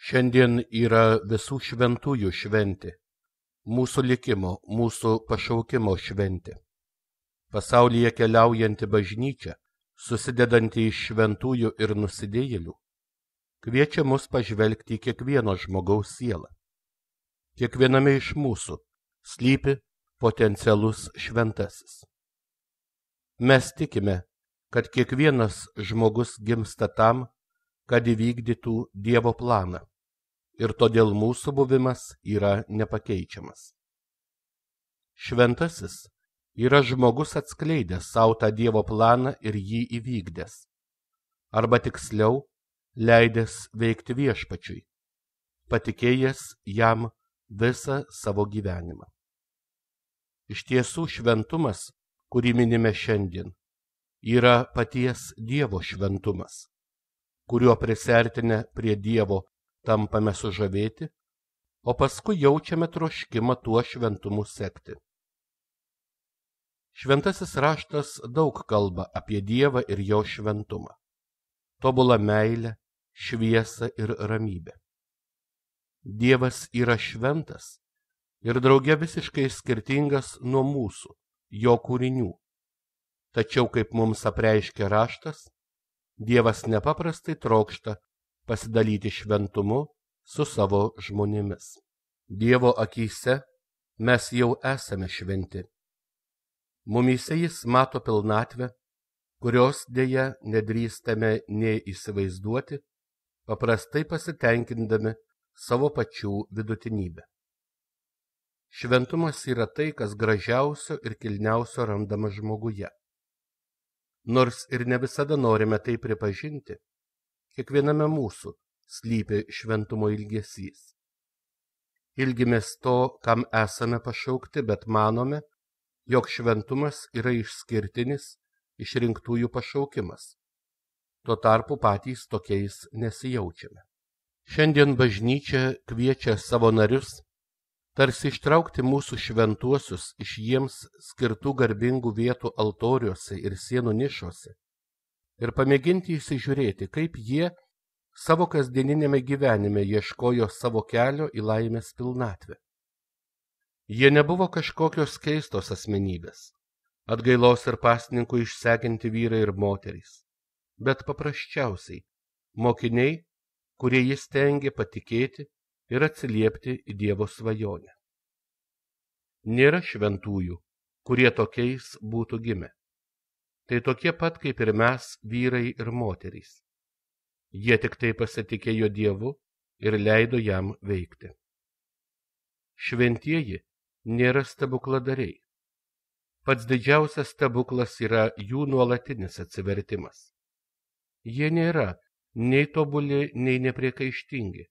Šiandien yra visų šventųjų šventė, mūsų likimo, mūsų pašaukimo šventė. Pasaulyje keliaujanti bažnyčia, susidedanti iš šventųjų ir nusidėjėlių, kviečia mus pažvelgti į kiekvieno žmogaus sielą. Kiekviename iš mūsų slypi potencialus šventasis. Mes tikime, kad kiekvienas žmogus gimsta tam, kad įvykdytų Dievo planą, ir todėl mūsų buvimas yra nepakeičiamas. Šventasis yra žmogus atskleidęs savo tą Dievo planą ir jį įvykdęs, arba tiksliau, leidęs veikti viešpačiui, patikėjęs jam visą savo gyvenimą. Iš tiesų šventumas, kurį minime šiandien, yra paties Dievo šventumas, kuriuo prisertinę prie Dievo tampame sužavėti, o paskui jaučiame troškimą tuo šventumu sekti. Šventasis raštas daug kalba apie Dievą ir jo šventumą, tobulą meilę, šviesą ir ramybę. Dievas yra šventas ir drauge visiškai skirtingas nuo mūsų, jo kūrinių. Tačiau, kaip mums apreiškia raštas, Dievas nepaprastai trokšta pasidalyti šventumu su savo žmonėmis. Dievo akyse mes jau esame šventi. Mumyse jis mato pilnatvę, kurios dėja nedrįstame nei įsivaizduoti, paprastai pasitenkindami savo pačių vidutinybę. Šventumas yra tai, kas gražiausio ir kilniausio randama žmoguje. Nors ir ne visada norime tai pripažinti, kiekviename mūsų slypi šventumo ilgesys. Ilgimės to, kam esame pašaukti, bet manome, jog šventumas yra išskirtinis išrinktųjų pašaukimas. Tuo tarpu patys tokiais nesijaučiame. Šiandien bažnyčia kviečia savo narius tarsi ištraukti mūsų šventuosius iš jiems skirtų garbingų vietų altoriuose ir sienų nišose ir pamėginti įsižiūrėti, kaip jie savo kasdieninėme gyvenime ieškojo savo kelio į laimės pilnatvę. Jie nebuvo kažkokios keistos asmenybės, atgailos ir pasninkų išsekinti vyrai ir moterys, bet paprasčiausiai mokiniai, kurie jis stengė patikėti ir atsiliepti į Dievo svajonę. Nėra šventųjų, kurie tokiais būtų gimę. Tai tokie pat kaip ir mes, vyrai ir moterys. Jie tik tai pasitikėjo Dievu ir leido jam veikti. Šventieji nėra stebukladariai. Pats didžiausias stebuklas yra jų nuolatinis atsivertimas. Jie nėra nei tobuli, nei nepriekaištingi.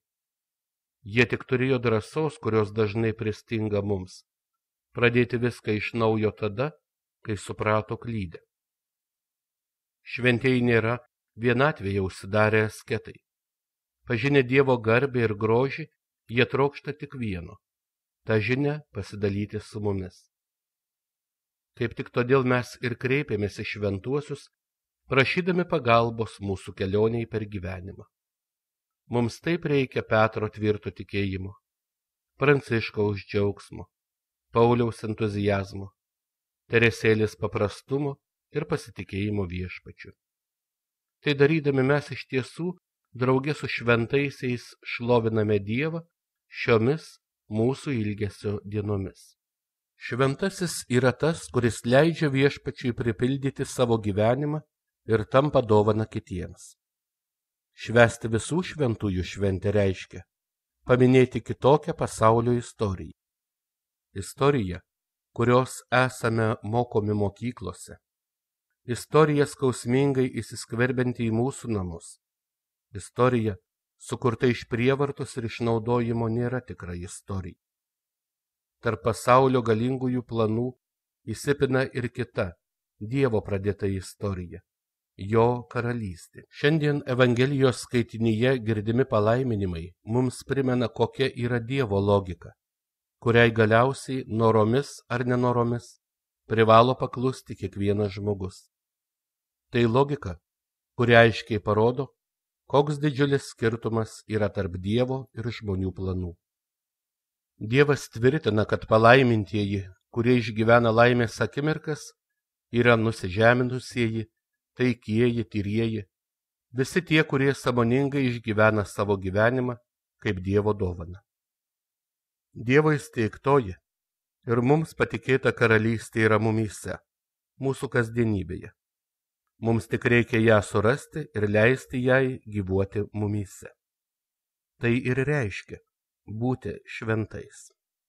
Jie tik turėjo drąsos, kurios dažnai pristinga mums, pradėti viską iš naujo tada, kai suprato klydę. Šventieji nėra vienatvėje užsidarę asketai. Pažinę Dievo garbę ir grožį, jie trokšta tik vieno – tą žinią pasidalyti su mumis. Kaip tik todėl mes ir kreipėmės į šventuosius, prašydami pagalbos mūsų kelioniai per gyvenimą. Mums taip reikia Petro tvirto tikėjimo, Pranciškaus džiaugsmo, Pauliaus entuziazmo, Teresėlės paprastumo ir pasitikėjimo viešpačiu. Tai darydami mes iš tiesų drauge su šventaisiais šloviname Dievą šiomis mūsų ilgesio dienomis. Šventasis yra tas, kuris leidžia viešpačiui pripildyti savo gyvenimą ir tampa dovana kitiems. Švęsti visų šventųjų šventę reiškia paminėti kitokią pasaulio istoriją. Istoriją, kurios esame mokomi mokyklose. Istorija skausmingai įsiskverbianti į mūsų namus. Istorija, sukurta iš prievartos ir išnaudojimo, nėra tikra istorija. Tarp pasaulio galingųjų planų įsipina ir kita Dievo pradėta istorija. Jo karalystė. Šiandien Evangelijos skaitinyje girdimi palaiminimai mums primena, kokia yra Dievo logika, kuriai galiausiai noromis ar nenoromis privalo paklusti kiekvienas žmogus. Tai logika, kuri aiškiai parodo, koks didžiulis skirtumas yra tarp Dievo ir žmonių planų. Dievas tvirtina, kad palaimintieji, kurie išgyvena laimės akimirkas, yra nusižeminusieji, taikieji, tyrieji, visi tie, kurie sąmoningai išgyvena savo gyvenimą kaip Dievo dovaną. Dievo įsteigtoji ir mums patikėta karalystė yra mumyse, mūsų kasdienybėje. Mums tik reikia ją surasti ir leisti jai gyvuoti mumyse. Tai ir reiškia būti šventais.